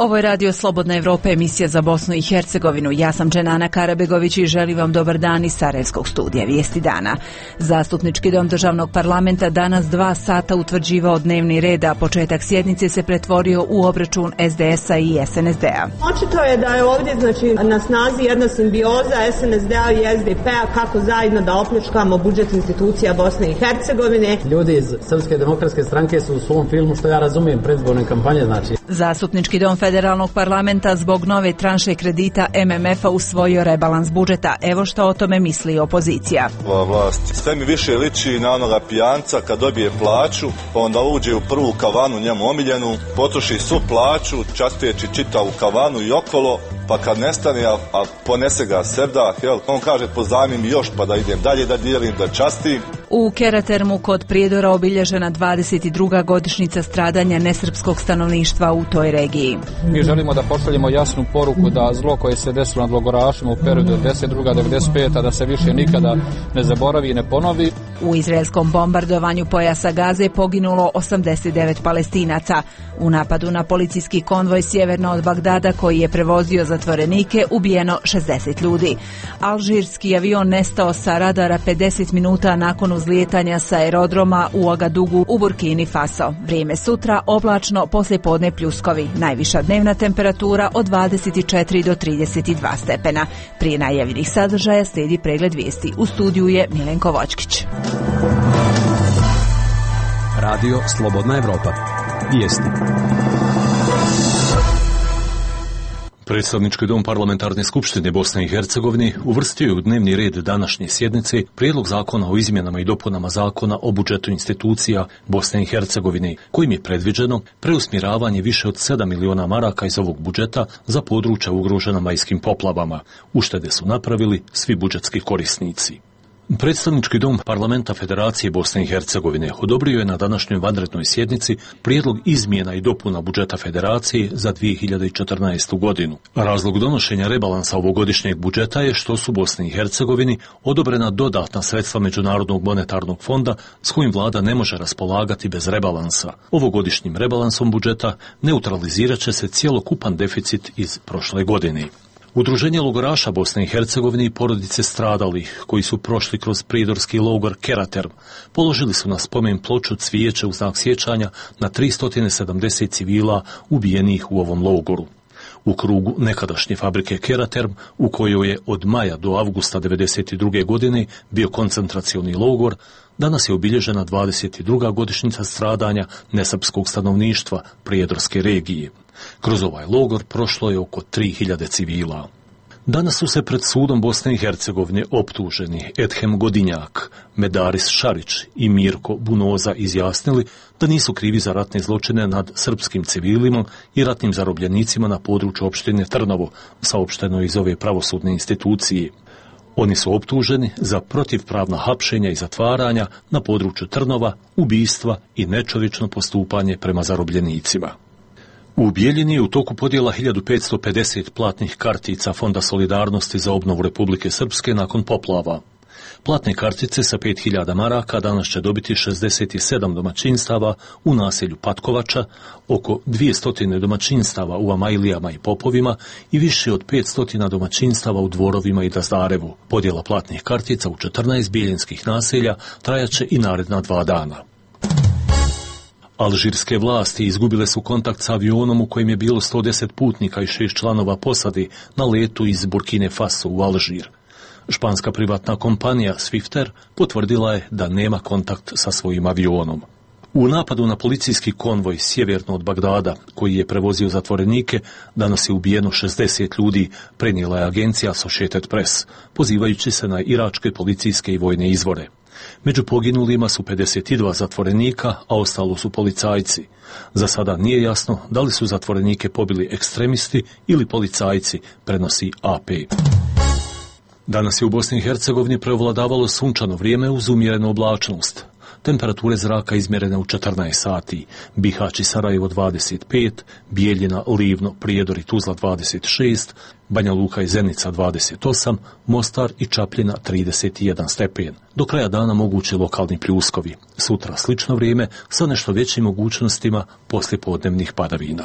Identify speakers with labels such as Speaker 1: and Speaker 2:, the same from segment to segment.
Speaker 1: Ovo je Radio Slobodna Evropa, emisija za Bosnu i Hercegovinu. Ja sam Dženana Karabegović i želim vam dobar dan iz Sarajevskog studija Vijesti dana. Zastupnički dom državnog parlamenta danas 2 sata utvrđivao dnevni red, a početak sjednice se pretvorio u obračun SDS-a i SNSD-a.
Speaker 2: Očito je da je ovdje na snazi jedna simbioza SNSD-a i SDP-a kako zajedno da opljačkamo budžet institucija Bosne i Hercegovine.
Speaker 3: Ljudi iz Srpske demokratske stranke su u svom filmu, što ja razumijem, predizborne kampanje,
Speaker 1: Zastupnički dom federalnog parlamenta zbog nove tranše kredita MMF-a usvojio rebalans budžeta. Evo što o tome misli opozicija.
Speaker 4: Ova vlast sve mi više liči na onoga pijanca kad dobije plaću, pa onda uđe u prvu kavanu njemu omiljenu, potroši svu plaću, častijeći čitavu kavanu i okolo, pa kad nestane, a ponese ga sevdah, on kaže pozajmi mi još pa da idem dalje, da dijelim, da častim.
Speaker 1: U Keratermu kod Prijedora obilježena 22. godišnjica stradanja nesrpskog stanovništva u toj regiji.
Speaker 5: Mi želimo da pošaljemo jasnu poruku da zlo koje se desilo nad logorašima u periodu od 1992-1995. da se više nikada ne zaboravi i ne ponovi.
Speaker 1: U izraelskom bombardovanju pojasa Gaze poginulo 89 Palestinaca. U napadu na policijski konvoj sjeverno od Bagdada koji je prevozio zatvorenike ubijeno 60 ljudi. Alžirski avion nestao sa radara 50 minuta nakon uzlijetanja sa aerodroma u Agadugu u Burkini Faso. Vrijeme sutra oblačno, poslijepodne pljuskovi. Najviša dnevna temperatura od 24 do 32 stepena. Prije najavljenih sadržaja slijedi pregled vijesti. U studiju je Milenko Vočkić.
Speaker 6: Radio Slobodna Evropa. Vijesti. Predstavnički dom Parlamentarne skupštine Bosne i Hercegovine uvrstio je u dnevni red današnje sjednice prijedlog zakona o izmjenama i dopunama zakona o budžetu institucija Bosne i Hercegovine, kojim je predviđeno preusmjeravanje više od 7 miliona maraka iz ovog budžeta za područja ugrožena majskim poplavama. Uštede su napravili svi budžetski korisnici. Predstavnički dom Parlamenta Federacije Bosne i Hercegovine odobrio je na današnjoj vanrednoj sjednici prijedlog izmjena i dopuna budžeta Federacije za 2014. godinu. Razlog donošenja rebalansa ovogodišnjeg budžeta je što su Bosni i Hercegovini odobrena dodatna sredstva Međunarodnog monetarnog fonda s kojim vlada ne može raspolagati bez rebalansa. Ovogodišnjim rebalansom budžeta neutralizirat će se cjelokupan deficit iz prošle godine. Udruženje logoraša Bosne i Hercegovine i porodice stradalih, koji su prošli kroz pridorski logor Keraterm, položili su na spomen ploču cvijeće u znak sjećanja na 370 civila ubijenih u ovom logoru. U krugu nekadašnje fabrike Keraterm, u kojoj je od maja do avgusta 1992. godine bio koncentracioni logor, danas je obilježena 22. godišnjica stradanja nesrpskog stanovništva Prijedorske regije. Kroz ovaj logor prošlo je oko 3000 civila. Danas su se pred sudom Bosne i Hercegovine optuženi Edhem Godinjak, Medaris Šarić i Mirko Bunoza izjasnili da nisu krivi za ratne zločine nad srpskim civilima i ratnim zarobljenicima na području opštine Trnovo, saopšteno iz ove pravosudne institucije. Oni su optuženi za protivpravna hapšenja i zatvaranja na području Trnova, ubistva i nečovječno postupanje prema zarobljenicima. U Bijeljini je u toku podjela 1550 platnih kartica Fonda solidarnosti za obnovu Republike Srpske nakon poplava. Platne kartice sa 5000 maraka danas će dobiti 67 domaćinstava u naselju Patkovača, oko 200 domaćinstava u Amajlijama i Popovima i više od 500 domaćinstava u Dvorovima i Dazdarevu. Podjela platnih kartica u 14 bijeljinskih naselja trajaće i naredna 2 dana. Alžirske vlasti izgubile su kontakt s avionom u kojem je bilo 110 putnika i 6 članova posade na letu iz Burkine Faso u Alžir. Španska privatna kompanija Swifter potvrdila je da nema kontakt sa svojim avionom. U napadu na policijski konvoj sjeverno od Bagdada, koji je prevozio zatvorenike, danas je ubijeno 60 ljudi, prenijela je agencija Associated Press, pozivajući se na iračke policijske i vojne izvore. Među poginulima su 52 zatvorenika, a ostalo su policajci. Za sada nije jasno da li su zatvorenike pobili ekstremisti ili policajci, prenosi AP. Danas je u Bosni i Hercegovini prevladavalo sunčano vrijeme uz umjerenu oblačnost. Temperature zraka izmjerene u 14 sati, Bihać i Sarajevo 25, Bijeljina, Livno, Prijedor i Tuzla 26, Banja Luka i Zenica 28, Mostar i Čapljina 31 stepen. Do kraja dana mogući lokalni pljuskovi. Sutra slično vrijeme sa nešto većim mogućnostima poslijepodnevnih padavina.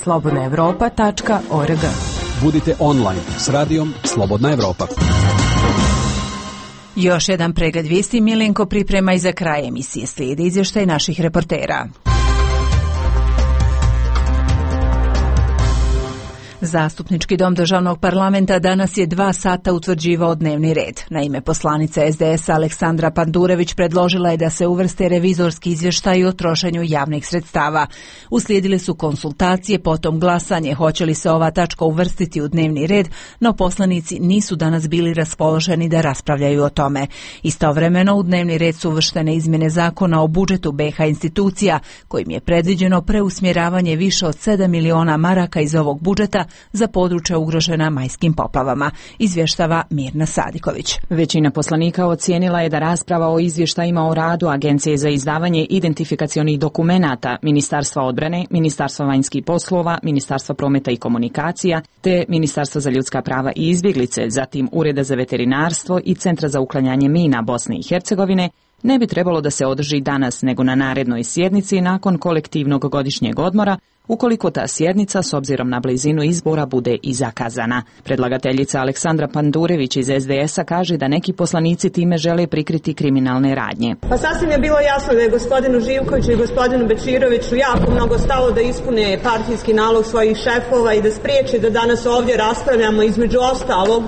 Speaker 7: slobodnaevropa.org.
Speaker 8: Budite online s radijom Slobodna Evropa.
Speaker 1: Još jedan pregled vijesti Milenko priprema i za kraj emisije slijedi izvještaj naših reportera. Zastupnički dom državnog parlamenta danas je 2 sata utvrđivao dnevni red. Naime, poslanica SDS Aleksandra Pandurević predložila je da se uvrste revizorski izvještaji o trošenju javnih sredstava. Uslijedile su konsultacije, potom glasanje hoće li se ova tačka uvrstiti u dnevni red, no poslanici nisu danas bili raspoloženi da raspravljaju o tome. Istovremeno u dnevni red su uvrštene izmjene zakona o budžetu BiH institucija, kojim je predviđeno preusmjeravanje više od 7 miliona maraka iz ovog budžeta za područja ugrožena majskim poplavama, izvještava Mirna Sadiković.
Speaker 7: Većina poslanika ocijenila je da rasprava o izvještajima o radu Agencije za izdavanje identifikacionih dokumenata, Ministarstva odbrane, Ministarstva vanjskih poslova, Ministarstva prometa i komunikacija, te Ministarstva za ljudska prava i izbjeglice, zatim Ureda za veterinarstvo i Centra za uklanjanje mina Bosne i Hercegovine, ne bi trebalo da se održi danas nego na narednoj sjednici nakon kolektivnog godišnjeg odmora, ukoliko ta sjednica s obzirom na blizinu izbora bude i zakazana. Predlagateljica Aleksandra Pandurević iz SDS-a kaže da neki poslanici time žele prikriti kriminalne radnje.
Speaker 2: Pa sasvim je bilo jasno da je gospodinu Živkoviću i gospodinu Bečiroviću jako mnogo stalo da ispune partijski nalog svojih šefova i da spriječe da danas ovdje raspravljamo između ostalog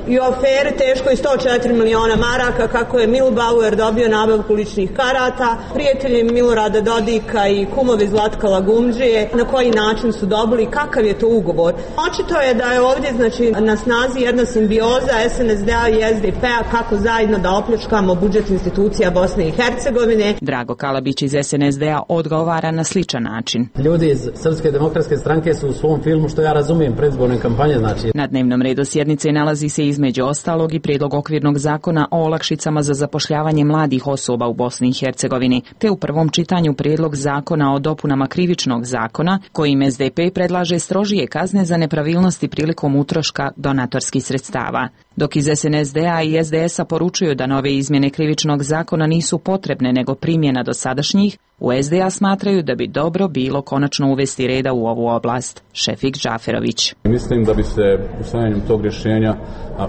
Speaker 2: i o aferi teškoj 104 miliona maraka kako je Milbauer dobio nabavku ličnih karata, prijatelji Milorada Dodika i kumovi Zlatka Lagumdžije, na koji način su dobili, kakav je to ugovor. Očito je da je ovdje na snazi jedna simbioza SNSD-a i SDP-a kako zajedno da opljačkamo budžet institucija Bosne i Hercegovine.
Speaker 7: Drago Kalabić iz SNSD-a odgovara na sličan način.
Speaker 3: Ljudi iz Srpske demokratske stranke su u svom filmu, što ja razumijem, predizborne kampanje, znači.
Speaker 7: Na dnevnom redu sjednice nalazi se između ostalog i prijedlog okvirnog zakona o olakšicama za zapošljavanje mladih osoba u Bosni i Hercegovini, te u prvom čitanju prijedlog zakona o dopunama krivičnog zakona, kojim SDP predlaže strožije kazne za nepravilnosti prilikom utroška donatorskih sredstava. Dok iz SNSD-a i SDS-a poručuju da nove izmjene krivičnog zakona nisu potrebne nego primjena dosadašnjih, u SDA smatraju da bi dobro bilo konačno uvesti reda u ovu oblast. Šefik Džaferović.
Speaker 9: Mislim da bi se usvajanjem tog rješenja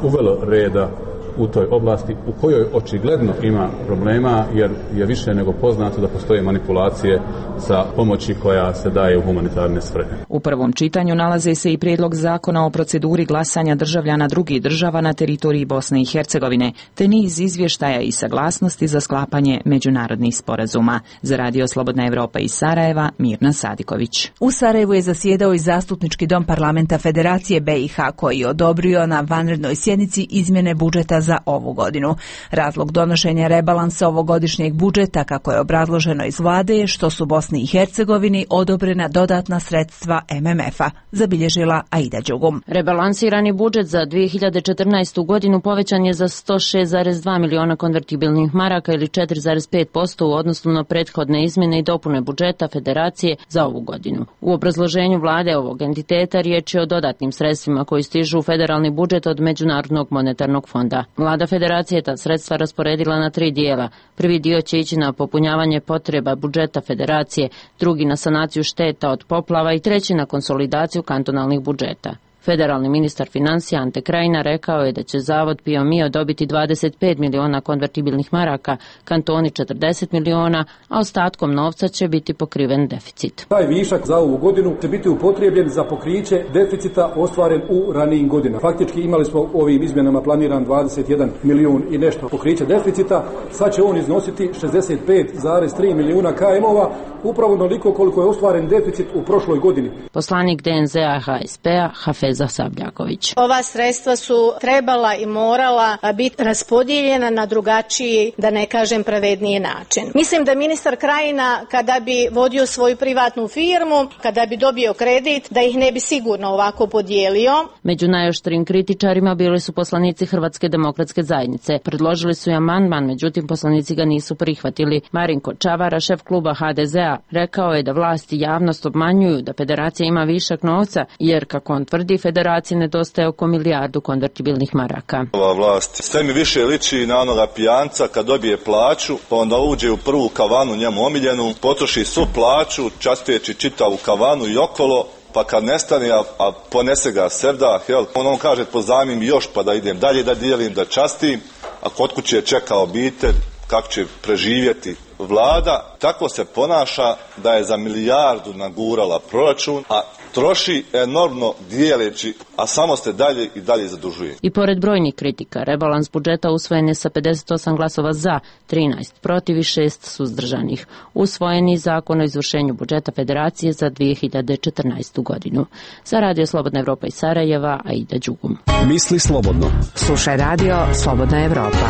Speaker 9: uvelo reda u toj oblasti u kojoj očigledno ima problema, jer je više nego poznato da postoje manipulacije sa pomoći koja se daje u humanitarne svrhe.
Speaker 7: U prvom čitanju nalaze se i prijedlog zakona o proceduri glasanja državljana drugih država na teritoriji Bosne i Hercegovine, te niz izvještaja i saglasnosti za sklapanje međunarodnih sporazuma. Za Radio Slobodna Evropa iz Sarajeva, Mirna Sadiković.
Speaker 1: U Sarajevu je zasjedao i Zastupnički dom parlamenta Federacije BiH, koji je odobrio na vanrednoj sjednici izmjene budžeta za ovu godinu. Razlog donošenja rebalansa ovogodišnjeg budžeta, kako je obrazloženo iz vlade, je što su Bosni i Hercegovini odobrena dodatna sredstva MMF-a, zabilježila Aida Đugum.
Speaker 10: Rebalansirani budžet za 2014. godinu povećan je za 106,2 miliona konvertibilnih maraka ili 4,5% u odnosu na prethodne izmjene i dopune budžeta Federacije za ovu godinu. U obrazloženju vlade ovog entiteta riječ je o dodatnim sredstvima koji stižu u federalni budžet od Međunarodnog monetarnog fonda. Vlada Federacije ta sredstva rasporedila na 3 dijela. Prvi dio će ići na popunjavanje potreba budžeta Federacije, drugi na sanaciju šteta od poplava i treći na konsolidaciju kantonalnih budžeta. Federalni ministar financija Ante Krajina rekao je da će Zavod Pio Mio dobiti 25 miliona konvertibilnih maraka, kantoni 40 miliona, a ostatkom novca će biti pokriven deficit.
Speaker 11: Taj višak za ovu godinu će biti upotrijebljen za pokriće deficita ostvaren u ranijim godinama. Faktički imali smo ovim izmjenama planiran 21 milijun i nešto pokriće deficita, sad će on iznositi 65,3 milijuna KM-ova, upravo onoliko koliko je ostvaren deficit u prošloj godini.
Speaker 10: Poslanik DNZ-a HSP-a Hafeza Sabljaković.
Speaker 12: Ova sredstva su trebala i morala biti raspodijeljena na drugačiji, da ne kažem pravedniji način. Mislim da ministar Krajina, kada bi vodio svoju privatnu firmu, kada bi dobio kredit, da ih ne bi sigurno ovako podijelio.
Speaker 10: Među najoštrijim kritičarima bili su poslanici Hrvatske demokratske zajednice. Predložili su i amandman, međutim poslanici ga nisu prihvatili. Marinko Čavara, šef kluba HDZ-a, rekao je da vlasti i javnost obmanjuju da federacija ima višak novca, jer kako on tvrdi, federaciji nedostaje oko milijardu konvertibilnih maraka.
Speaker 4: Ova vlast sve mi više liči na onoga pijanca kad dobije plaću, pa onda uđe u prvu kavanu njemu omiljenu, potroši svu plaću, časteći čitavu kavanu i okolo, pa kad nestane, a ponese ga sevdah, on kaže pozajmim još pa da idem dalje, da dijelim, da častim, a kod kuće čeka obitelj, kako će preživjeti. Vlada tako se ponaša da je za milijardu nagurala proračun, a troši enormno dijeleći, a samo se dalje i dalje zadužuje.
Speaker 10: I pored brojnih kritika, rebalans budžeta usvojen je sa 58 glasova za, 13 protiv i 6 suzdržanih. Usvojen je Zakon o izvršenju budžeta Federacije za 2014. godinu. Za Radio Slobodna Evropa iz Sarajeva, Aida Đugum.
Speaker 8: Misli slobodno.
Speaker 1: Slušaj Radio Slobodna Evropa.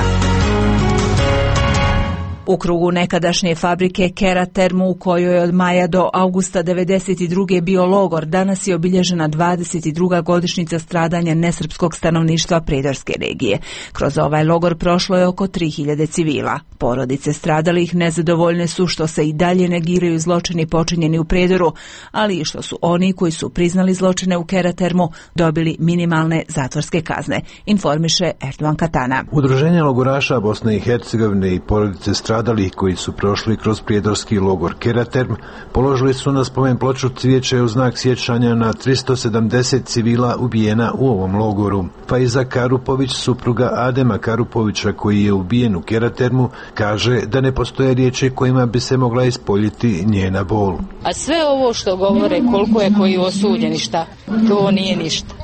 Speaker 1: U krugu nekadašnje fabrike Keratermu, u kojoj je od maja do augusta 1992. bio logor, danas je obilježena 22. godišnjica stradanja nesrpskog stanovništva Prijedorske regije. Kroz ovaj logor prošlo je oko 3000 civila. Porodice stradalih nezadovoljne su što se i dalje negiraju zločini počinjeni u Prijedoru, ali i što su oni koji su priznali zločine u Keratermu dobili minimalne zatvorske kazne, informiše Erdogan Katana.
Speaker 13: Udruženje logoraša Bosne i Hercegovine i porodice stradalih koji su prošli kroz prijedorski logor Keraterm položili su na spomen ploču cvijeće u znak sjećanja na 370 civila ubijena u ovom logoru. Faiza Karupović, supruga Adema Karupovića koji je ubijen u Keratermu, kaže da ne postoje riječi kojima bi se mogla ispoljiti njena bol.
Speaker 14: A sve ovo što govore koliko je koji osuđeni šta, to nije ništa.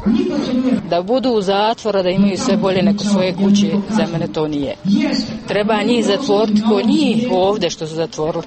Speaker 14: Da budu u zatvora, da imaju sve bolje neko svoje kuće, za mene to nije. Treba njih zatvoriti ko njih ovdje što su zatvorili.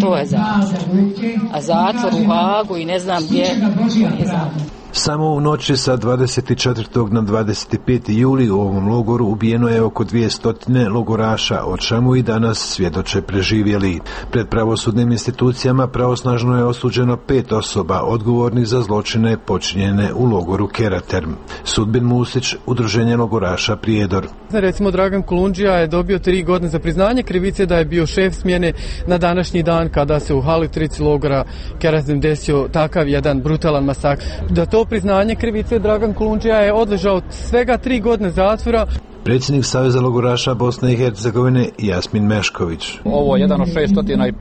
Speaker 14: To je zatvor. A zatvor u Hagu i ne znam gdje, to nije zatvor.
Speaker 13: Samo u noći sa 24. na 25. juli u ovom logoru ubijeno je oko 200 logoraša, o čemu i danas svjedoče preživjeli. Pred pravosudnim institucijama pravosnažno je osuđeno 5 osoba odgovornih za zločine počinjene u logoru Keraterm. Sudbin Musić, Udruženje logoraša Prijedor.
Speaker 15: Recimo Dragan Kolundžija je dobio 3 godine za priznanje krivice da je bio šef smjene na današnji dan kada se u Halitrici logora Keraterm desio takav jedan brutalan masakr. Da to priznanje krivice Dragan Kolundžija je odležao svega 3 godine zatvora.
Speaker 13: Predsjednik Saveza logoraša Bosne i Hercegovine Jasmin Mešković.
Speaker 5: Ovo je jedan od 657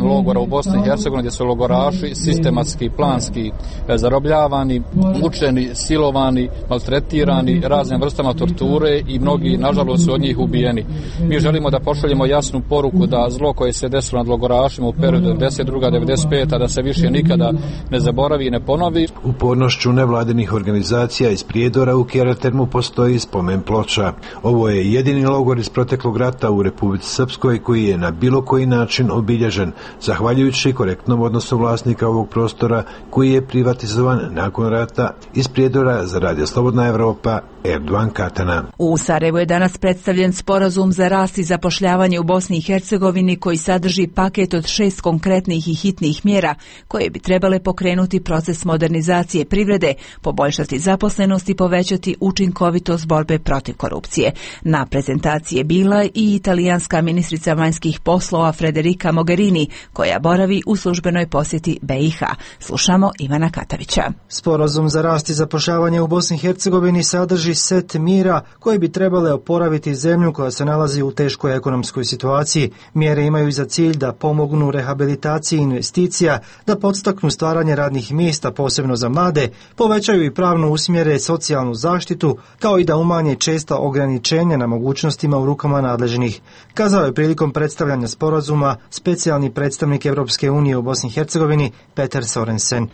Speaker 5: logora u Bosni i Hercegovini gdje su logoraši sistematski, planski zarobljavani, mučeni, silovani, maltretirani raznim vrstama torture i mnogi, nažalost, su od njih ubijeni. Mi želimo da pošaljemo jasnu poruku da zlo koje se desilo nad logorašima u periodu 1992-1995. da se više nikada ne zaboravi i ne ponovi.
Speaker 13: Upornošću nevladinih organizacija iz Prijedora u Keratermu postoji spomen ploča. Ovo je jedini logor iz proteklog rata u Republici Srpskoj koji je na bilo koji način obilježen, zahvaljujući korektnom odnosu vlasnika ovog prostora koji je privatizovan nakon rata. Iz Prijedora za Radio Slobodna Evropa, Erdogan Katana.
Speaker 1: U Sarajevu je danas predstavljen sporazum za rast i zapošljavanje u Bosni i Hercegovini koji sadrži paket od 6 konkretnih i hitnih mjera koje bi trebale pokrenuti proces modernizacije privrede, poboljšati zaposlenost i povećati učinkovitost borbe protiv korupcije. Na prezentaciji je bila i italijanska ministrica vanjskih poslova Federica Mogherini, koja boravi u službenoj posjeti BiH. Slušamo Ivana Katavića.
Speaker 16: Sporazum za rast i zapošljavanje u Bosni i Hercegovini sadrži set mjera koje bi trebale oporaviti zemlju koja se nalazi u teškoj ekonomskoj situaciji. Mjere imaju za cilj da pomognu rehabilitaciji investicija, da podstaknu stvaranje radnih mjesta posebno za mlade, povećaju i pravno usmjere socijalnu zaštitu, kao i da umanje česta ograničenja na mogućnostima u rukama nadležnih. Kazao je prilikom predstavljanja sporazuma specijalni predstavnik Europske unije u Bosni i Hercegovini Peter Sorensen.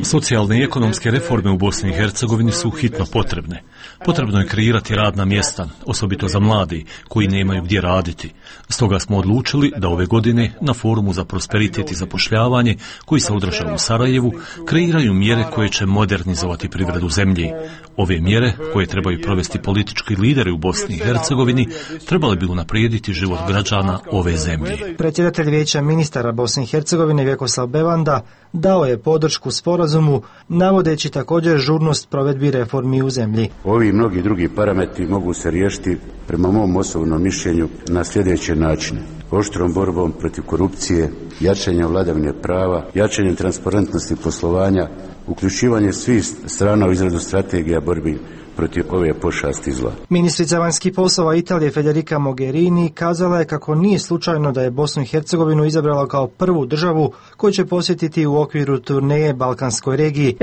Speaker 6: Socijalne i ekonomske reforme u Bosni i Hercegovini su hitno potrebne. Potrebno je kreirati radna mjesta, osobito za mladi koji nemaju gdje raditi. Stoga smo odlučili da ove godine na Forumu za prosperitet i zapošljavanje koji se održava u Sarajevu kreiraju mjere koje će modernizovati privredu zemlji. Ove mjere koje trebaju provesti politički lideri u Bosni i Hercegovini trebali bi unaprijediti život građana ove zemlje.
Speaker 16: Predsjedatelj Vijeća ministara Bosne i Hercegovine Vjekoslav Bevanda dao je podršku sporazumu, navodeći također žurnost provedbi reformi u zemlji.
Speaker 17: Ovi i mnogi drugi parametri mogu se riješiti prema mom osobnom mišljenju na sljedeći način: oštrom borbom protiv korupcije, jačanjem vladavine prava, jačanjem transparentnosti poslovanja, uključivanje svih strana u izradu strategija borbi protiv ove pošasti zla.
Speaker 16: Ministrica vanjskih poslova Italije Federica Mogherini kazala je kako nije slučajno da je Bosnu i Hercegovinu izabrala kao prvu državu koju će posjetiti u okviru turneje Balkanskoj regiji.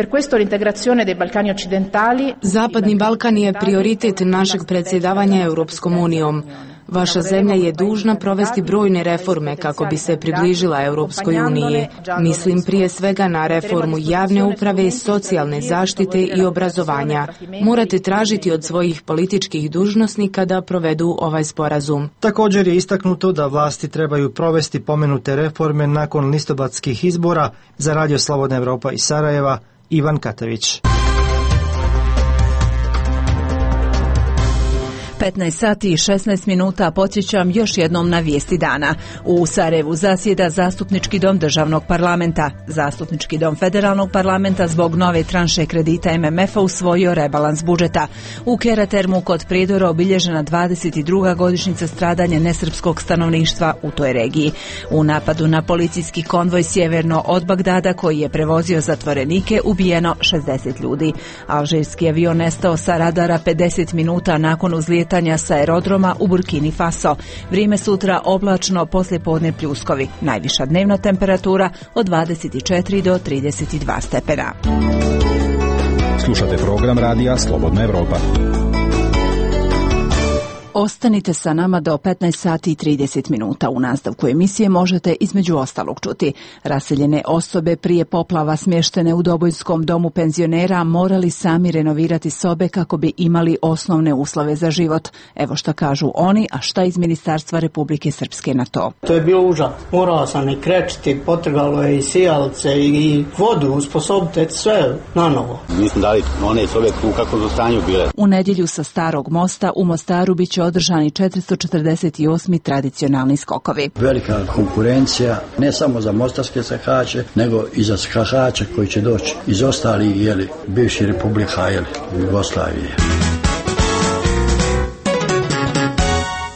Speaker 18: Zapadni Balkan je prioritet našeg predsjedavanja Europskom unijom. Vaša zemlja je dužna provesti brojne reforme kako bi se približila Europskoj uniji. Mislim prije svega na reformu javne uprave, socijalne zaštite i obrazovanja. Morate tražiti od svojih političkih dužnosnika da provedu ovaj sporazum.
Speaker 16: Također je istaknuto da vlasti trebaju provesti pomenute reforme nakon listopadskih izbora. Za Radio Slobodna Evropa iz Sarajeva, Ivan Katavić.
Speaker 1: 15 sati i 16 minuta podsjećam još jednom na vijesti dana. U Sarajevu zasjeda Zastupnički dom državnog parlamenta. Zastupnički dom federalnog parlamenta zbog nove tranše kredita MMF-a usvojio rebalans budžeta. U Keratermu kod Prijedora obilježena 22. godišnjica stradanja nesrpskog stanovništva u toj regiji. U napadu na policijski konvoj sjeverno od Bagdada koji je prevozio zatvorenike ubijeno 60 ljudi. Alžirski avion nestao sa radara 50 minuta nakon uzlijetanja sa aerodroma u Burkini Faso. Vrijeme sutra oblačno, poslijepodne pljuskovi. Najviša dnevna temperatura od 24 do 32 stepena.
Speaker 8: Slušate program radija Slobodna Evropa.
Speaker 1: Ostanite sa nama do 15 sati i 30 minuta. U nastavku emisije možete između ostalog čuti: raseljene osobe prije poplava smještene u Dobojskom domu penzionera morali sami renovirati sobe kako bi imali osnovne uslove za život. Evo šta kažu oni, a šta iz Ministarstva Republike Srpske na to.
Speaker 19: To je bilo užas. Morao sam i krečiti, potrgalo je i sijalce i vodu, usposobiti sve na novo.
Speaker 20: Nisam dali one sobe u kakvom su stanju bile.
Speaker 1: U nedjelju sa Starog mosta u Mostaru biće održani 448. tradicionalni skokovi.
Speaker 21: Velika konkurencija ne samo za mostarske skahače, nego i za skahače koji će doći iz ostalih bivših republika Jugoslavije.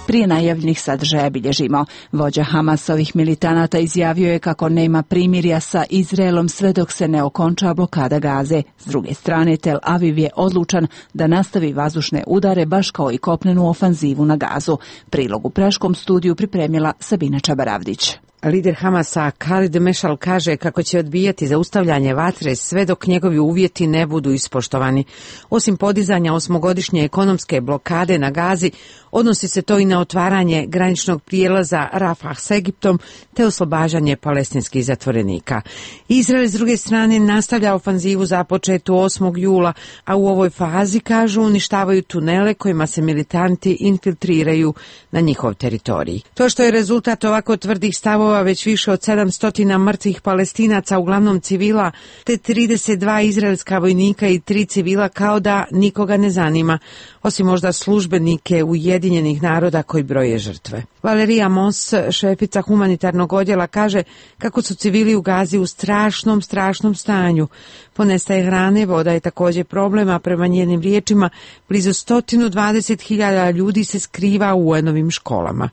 Speaker 1: Prije najavljenih sadržaja bilježimo. Vođa Hamasovih militanata izjavio je kako nema primirja sa Izraelom sve dok se ne okonča blokada Gaze. S druge strane, Tel Aviv je odlučan da nastavi vazdušne udare baš kao i kopnenu ofanzivu na Gazu. Prilog u Praškom studiju pripremila Sabina Čabaravdić.
Speaker 22: Lider Hamasa Khalid Mešal kaže kako će odbijati zaustavljanje vatre sve dok njegovi uvjeti ne budu ispoštovani. Osim podizanja 8-godišnje ekonomske blokade na Gazi, odnosi se to i na otvaranje graničnog prijelaza Rafah s Egiptom te oslobađanje palestinskih zatvorenika. Izrael s druge strane nastavlja ofanzivu započetu 8. jula, a u ovoj fazi, kažu, uništavaju tunele kojima se militanti infiltriraju na njihov teritorij. To što je rezultat ovako tvrdih stavova već više od 700 mrtvih Palestinaca, uglavnom civila, te 32 izraelska vojnika i 3 civila, kao da nikoga ne zanima, osim možda službenike Ujedinjenih naroda koji broje žrtve. Valerija Mons, šefica humanitarnog odjela, kaže kako su civili u Gazi u strašnom stanju. Ponestaje hrane, voda je također problem, a prema njenim riječima blizu 120.000 ljudi se skriva u UN-ovim školama.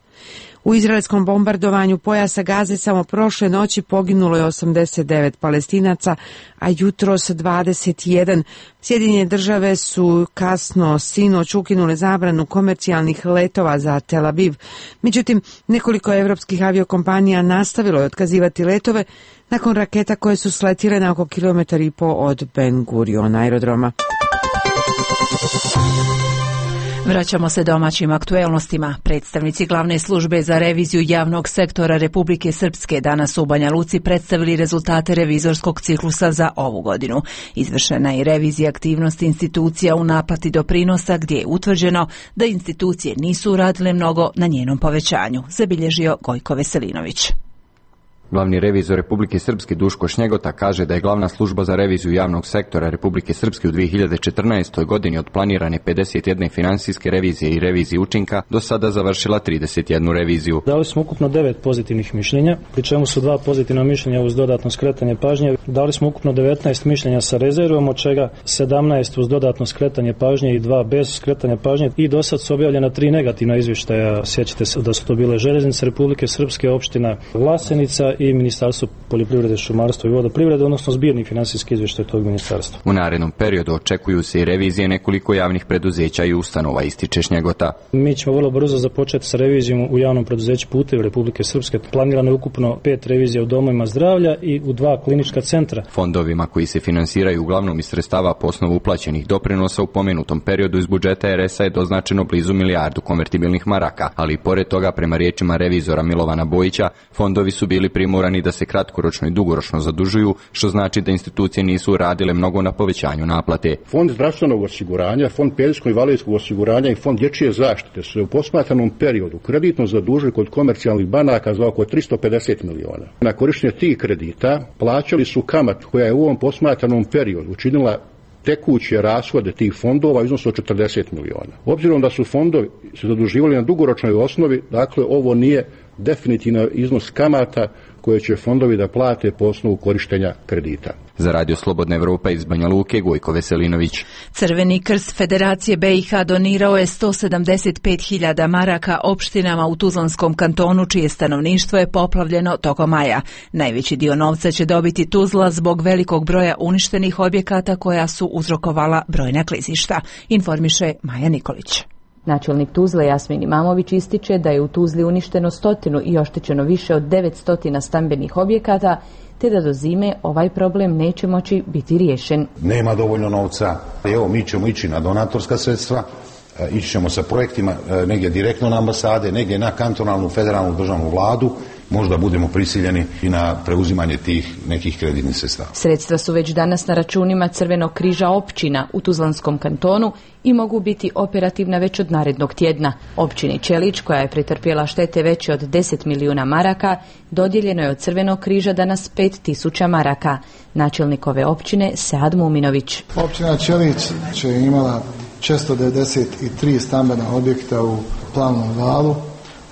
Speaker 22: U izraelskom bombardovanju pojasa Gaze samo prošle noći poginulo je 89 Palestinaca, a jutros 21. Sjedinjene države su kasno sinoć ukinule zabranu komercijalnih letova za Tel Aviv. Međutim, nekoliko evropskih aviokompanija nastavilo je otkazivati letove nakon raketa koje su sletile na oko 1,5 km od Ben Gurion aerodroma.
Speaker 1: Vraćamo se domaćim aktuelnostima. Predstavnici glavne službe za reviziju javnog sektora Republike Srpske danas u Banja Luci predstavili rezultate revizorskog ciklusa za ovu godinu. Izvršena je revizija aktivnosti institucija u naplati doprinosa, gdje je utvrđeno da institucije nisu uradile mnogo na njenom povećanju, zabilježio Gojko Veselinović.
Speaker 23: Glavni revizor Republike Srpske Duško Šnjegota kaže da je glavna služba za reviziju javnog sektora Republike Srpske u 2014. godini od planirane 51 finansijske revizije i revizije učinka do sada završila 31 reviziju.
Speaker 24: Dali smo ukupno 9 pozitivnih mišljenja, pri čemu su 2 pozitivna mišljenja uz dodatno skretanje pažnje. Dali smo ukupno 19 mišljenja sa rezervom, od čega 17 uz dodatno skretanje pažnje i 2 bez skretanja pažnje, i do sad su objavljena 3 negativna izvještaja. Sjećate se da su to bile Željeznice Republike Srpske, opština Vlasenica i Ministarstvo poljoprivrede, šumarstva i vodoprivrede, odnosno zbirni finansijski izvještaj tog ministarstva.
Speaker 23: U narednom periodu očekuju se i revizije nekoliko javnih preduzeća i ustanova, ističe Šnjegota.
Speaker 24: Mi ćemo vrlo brzo započeti sa revizijom u javnom preduzeću Putevi Republike Srpske. Planirano je ukupno 5 revizija u domovima zdravlja i u 2 klinička centra.
Speaker 23: Fondovima koji se finansiraju uglavnom iz sredstava po osnovu uplaćenih doprinosa u pomenutom periodu iz budžeta RS-a je doznačeno blizu milijardu konvertibilnih maraka, ali i pored toga, prema riječima revizora Milovana Bojića, fondovi su bili primorani da se kratkoročno i dugoročno zadužuju, što znači da institucije nisu radile mnogo na povećanju naplate.
Speaker 2: Fond zdravstvenog osiguranja, Fond penzijsko-invalidskog osiguranja i Fond dječje zaštite su u posmatranom periodu kreditno zadužili kod komercijalnih banaka za oko 350 miliona. Na korištenje tih kredita plaćali su kamatu koja je u ovom posmatranom periodu učinila tekuće rashode tih fondova u iznosu od 40 miliona. Obzirom da su fondovi se zaduživali na dugoročnoj osnovi, dakle ovo nije definitivno iznos kamata koje će fondovi da plate po osnovu korištenja kredita.
Speaker 23: Za Radio Slobodna Evropa iz Banja Luke, Gojko Veselinović.
Speaker 1: Crveni krst Federacije BiH donirao je 175.000 maraka opštinama u Tuzlanskom kantonu, čije stanovništvo je poplavljeno tokom maja. Najveći dio novca će dobiti Tuzla zbog velikog broja uništenih objekata koja su uzrokovala brojna klizišta, informiše Maja Nikolić.
Speaker 3: Načelnik Tuzle Jasmin Imamović ističe da je u Tuzli uništeno 100 i oštećeno više od 900 stambenih objekata, te da do zime ovaj problem neće moći biti riješen.
Speaker 7: Nema dovoljno novca. Evo, mi ćemo ići na donatorska sredstva, ići ćemo sa projektima negdje direktno na ambasade, negdje na kantonalnu, federalnu, državnu vladu. Možda budemo prisiljeni i na preuzimanje tih nekih kreditnih sredstava.
Speaker 3: Sredstva su već danas na računima Crvenog križa općina u Tuzlanskom kantonu i mogu biti operativna već od narednog tjedna. Općini Čelić, koja je pretrpjela štete veće od 10 milijuna maraka, dodijeljeno je od Crvenog križa danas 5.000 maraka. Načelnik ove općine Sead Muminović.
Speaker 9: Općina Čelić će imala 493 stambena objekta u Plavnom valu,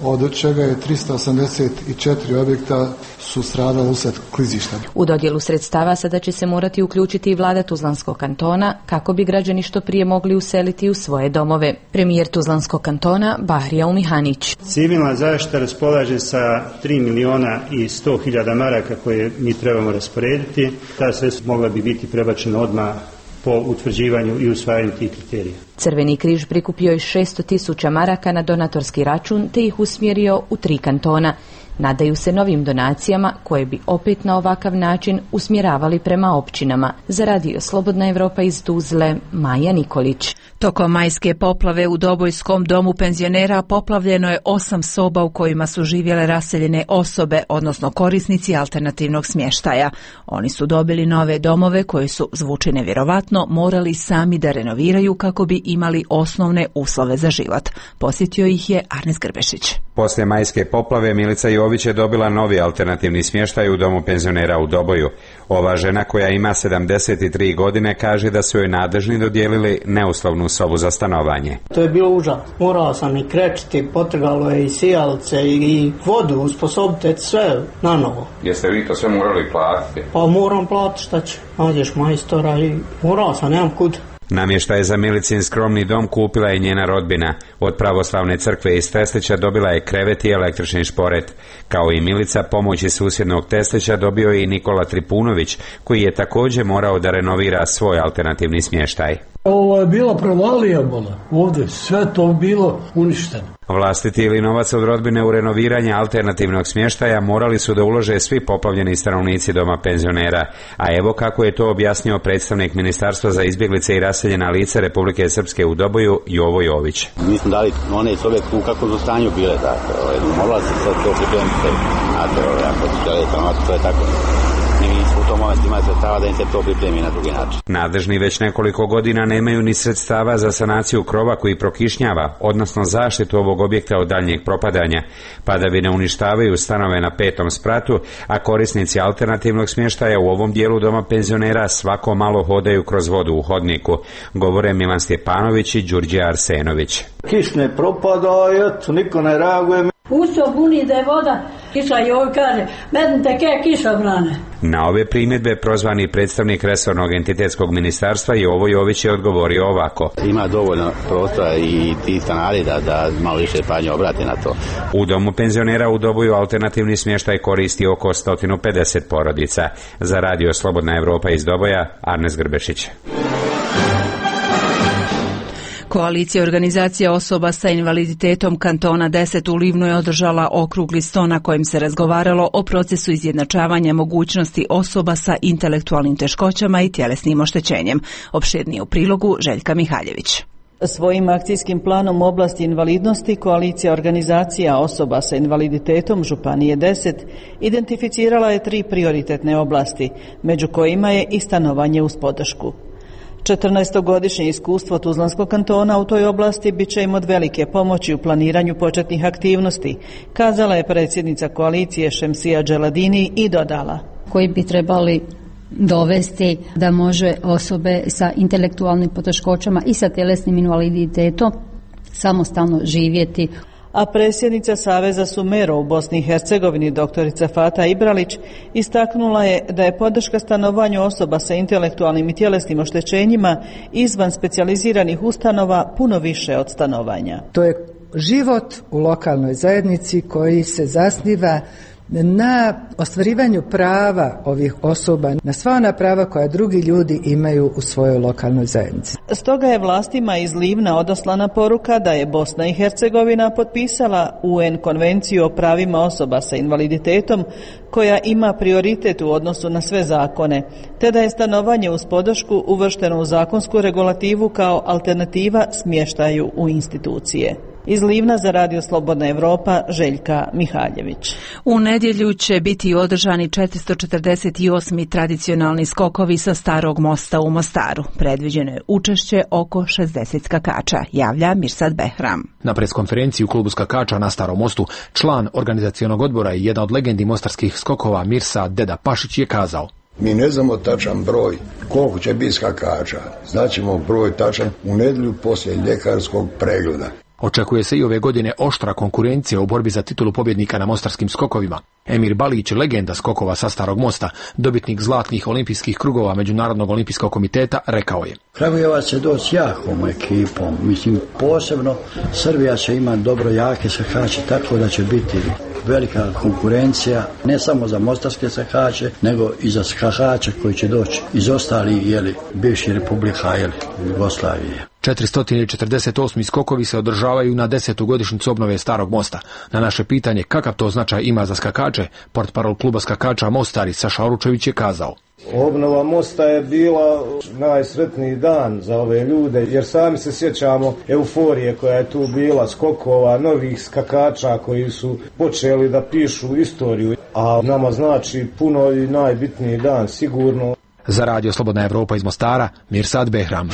Speaker 9: od čega je 384 objekta su stradali usred klizišta.
Speaker 3: U dodjelu sredstava sada će se morati uključiti i vlada Tuzlanskog kantona kako bi građani što prije mogli useliti u svoje domove. Premijer Tuzlanskog kantona Bahrija Umihanić.
Speaker 25: Civilna zaštita raspolaže sa 3 miliona i 100.000 maraka koje mi trebamo rasporediti. Ta sredstva mogla bi biti prebačena odmah po utvrđivanju i usvajanju tih kriterija.
Speaker 3: Crveni križ prikupio je 600.000 maraka na donatorski račun te ih usmjerio u 3 kantona. Nadaju se novim donacijama koje bi opet na ovakav način usmjeravali prema općinama. Za Radio Slobodna Evropa iz Tuzle, Maja Nikolić.
Speaker 1: Tokom majske poplave u Dobojskom domu penzionera poplavljeno je 8 soba u kojima su živjele raseljene osobe, odnosno korisnici alternativnog smještaja. Oni su dobili nove domove koje su, zvuči nevjerovatno, morali sami da renoviraju kako bi imali osnovne uslove za život. Posjetio ih je Arnes Grbešić.
Speaker 26: Poslije majske poplave Milica Jović je dobila novi alternativni smještaj u domu penzionera u Doboju. Ova žena, koja ima 73 godine, kaže da su joj nadležni dodijelili neuslovnu sobu za stanovanje.
Speaker 19: To je bilo užasno. Morao sam i krečiti, potrgalo je i sijalice i vodu, usposobite sve na novo.
Speaker 26: Jeste vi to sve morali platiti?
Speaker 19: Pa moram platiti, šta će? Nađeš majstora i morao sam, nemam kud.
Speaker 26: Namještaj za Milicin skromni dom kupila je njena rodbina. Od pravoslavne crkve iz Teslića dobila je krevet i električni šporet. Kao i Milica, pomoć iz susjednog Teslića dobio je i Nikola Tripunović, koji je također morao da renovira svoj alternativni smještaj.
Speaker 27: Ovo je bila provalija, ovdje sve to bilo uništeno.
Speaker 26: Vlastiti ili novac od rodbine u renoviranje alternativnog smještaja morali su da ulože svi poplavljeni stanovnici doma penzionera, a evo kako je to objasnio predstavnik Ministarstva za izbjeglice i raseljena lica Republike Srpske u Doboju, Jovo Jović.
Speaker 20: Mi smo dali one sobe u kakvom su stanju bile, morala se sad to pripremiti, ako se žele, to je tako. U tom momentu imaju sredstava da im se to pripremi na drugi način.
Speaker 26: Nadležni već nekoliko godina nemaju ni sredstava za sanaciju krova koji prokišnjava, odnosno zaštitu ovog objekta od daljnjeg propadanja. Padavine uništavaju stanove na 5. spratu, a korisnici alternativnog smještaja u ovom dijelu doma penzionera svako malo hodaju kroz vodu u hodniku, govore Milan Stjepanović i Đurđe Arsenović.
Speaker 19: Kiš ne propada, eto, niko ne reaguje.
Speaker 28: Uso buni da je voda
Speaker 4: Kiša i ovo kaže, mednite ke kišobrane.
Speaker 26: Na ove primjedbe prozvani predstavnik resornog entitetskog ministarstva Jovo Jović je odgovorio ovako.
Speaker 20: Ima dovoljno prostora i ti stanari da malo više pažnje obrate na to.
Speaker 26: U domu penzionera u Doboju alternativni smještaj koristi oko 150 porodica. Za radio Slobodna Evropa iz Doboja, Arnes Grbešić.
Speaker 1: Koalicija organizacija osoba sa invaliditetom kantona 10 u Livnu je održala okrugli sto na kojem se razgovaralo o procesu izjednačavanja mogućnosti osoba sa intelektualnim teškoćama i tjelesnim oštećenjem. Opširnije u prilogu Željka Mihaljević.
Speaker 5: Svojim akcijskim planom u oblasti invalidnosti koalicija organizacija osoba sa invaliditetom Županije 10 identificirala je 3 prioritetne oblasti, među kojima je i stanovanje uz podršku. 14-godišnje iskustvo Tuzlanskog kantona u toj oblasti bit će im od velike pomoći u planiranju početnih aktivnosti, kazala je predsjednica koalicije Šemsija Dželadini i dodala.
Speaker 10: Koji bi trebali dovesti da može osobe sa intelektualnim poteškoćama i sa tjelesnim invaliditetom samostalno živjeti.
Speaker 5: A predsjednica Saveza Sumero u Bosni i Hercegovini doktorica Fata Ibralić istaknula je da je podrška stanovanju osoba sa intelektualnim i tjelesnim oštećenjima izvan specijaliziranih ustanova puno više od stanovanja.
Speaker 11: To je život u lokalnoj zajednici koji se zasniva na ostvarivanju prava ovih osoba, na sva ona prava koja drugi ljudi imaju u svojoj lokalnoj zajednici.
Speaker 5: Stoga je vlastima iz Livna odoslana poruka da je Bosna i Hercegovina potpisala UN konvenciju o pravima osoba sa invaliditetom koja ima prioritet u odnosu na sve zakone, te da je stanovanje uz podršku uvršteno u zakonsku regulativu kao alternativa smještaju u institucije. Iz Livna za radio Slobodna Evropa, Željka Mihaljević.
Speaker 1: U nedjelju će biti održani 448. tradicionalni skokovi sa Starog mosta u Mostaru. Predviđeno je učešće oko 60 skakača, javlja Mirsad Behram.
Speaker 12: Na preskonferenciji u klubu skakača na Starom mostu član organizacionog odbora i jedna od legendi mostarskih skokova Mirsad Deda Pašić je kazao:
Speaker 14: Mi ne znamo tačan broj koliko će biti skakača. Znaćemo broj tačan u nedjelju poslije ljekarskog pregleda.
Speaker 12: Očekuje se i ove godine oštra konkurencija u borbi za titulu pobjednika na mostarskim skokovima. Emir Balić, legenda skokova sa Starog mosta, dobitnik zlatnih olimpijskih krugova Međunarodnog olimpijskog komiteta, rekao je:
Speaker 21: Kragujevac će doći jakom ekipom. Mislim, posebno Srbija će imati dobro jake skakače, tako da će biti velika konkurencija, ne samo za mostarske skakače, nego i za skakače koji će doći iz ostalih bivših republika Jugoslavije.
Speaker 12: 448. skokovi se održavaju na 10. godišnjicu obnove Starog mosta. Na naše pitanje kakav to značaj ima za skakače, portparol kluba skakača Mostari Saša Oručević je kazao:
Speaker 15: Obnova mosta je bila najsretniji dan za ove ljude, jer sami se sjećamo euforije koja je tu bila, skokova, novih skakača koji su počeli da pišu istoriju, a nama znači puno i najbitniji dan, sigurno.
Speaker 12: Za radio Slobodna Evropa iz Mostara, Mirsad Behram.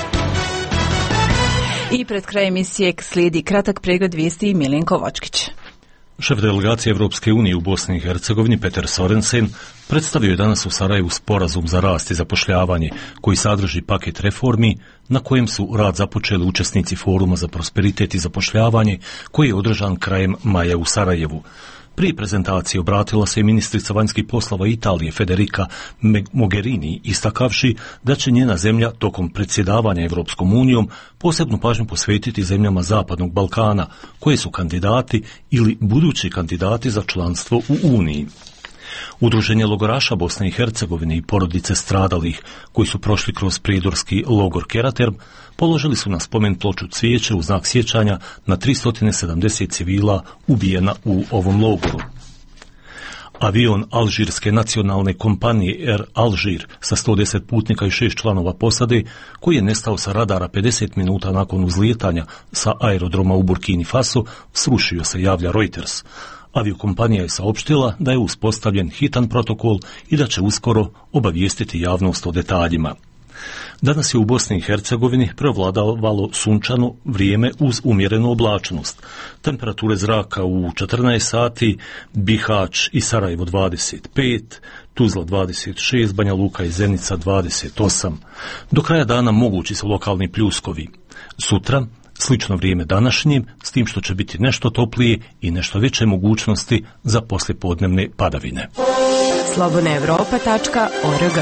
Speaker 1: I pred kraj emisije slijedi kratak pregled vijesti Milenko Vočkić.
Speaker 6: Šef delegacije Evropske unije u Bosni i Hercegovini Peter Sorensen predstavio je danas u Sarajevu sporazum za rast i zapošljavanje koji sadrži paket reformi na kojem su rad započeli učesnici Foruma za prosperitet i zapošljavanje koji je održan krajem maja u Sarajevu. Prije prezentacije obratila se i ministrica vanjskih poslova Italije Federica Mogherini, istakavši da će njena zemlja tokom predsjedavanja Evropskom unijom posebnu pažnju posvetiti zemljama Zapadnog Balkana, koje su kandidati ili budući kandidati za članstvo u Uniji. Udruženje logoraša Bosne i Hercegovine i porodice stradalih koji su prošli kroz prijedorski logor Keraterm položili su na spomen ploču cvijeće u znak sjećanja na 370 civila ubijena u ovom logoru. Avion Alžirske nacionalne kompanije Air Alžir sa 110 putnika i 6 članova posade, koji je nestao sa radara 50 minuta nakon uzlijetanja sa aerodroma u Burkini Faso, srušio se, javlja Reuters. Aviokompanija je saopštila da je uspostavljen hitan protokol i da će uskoro obavijestiti javnost o detaljima. Danas je u Bosni i Hercegovini prevladavalo sunčano vrijeme uz umjerenu oblačnost. Temperature zraka u 14 sati, Bihać i Sarajevo 25, Tuzla 26, Banja Luka i Zenica 28. Do kraja dana mogući su lokalni pljuskovi. Sutra Slično vrijeme današnjim, s tim što će biti nešto toplije i nešto veće mogućnosti za poslijepodnevne padavine.
Speaker 8: slobodnaevropa.org.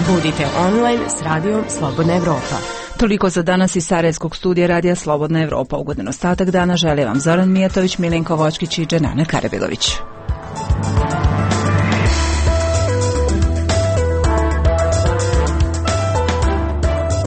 Speaker 8: Budite online s radijom Slobodna Evropa.
Speaker 1: Toliko za danas iz Sarajevskog studija radija Slobodna Evropa. Ugodan ostatak dana žele vam Zoran Mijatović, Milenko Vočkić i Dženana Karabilović.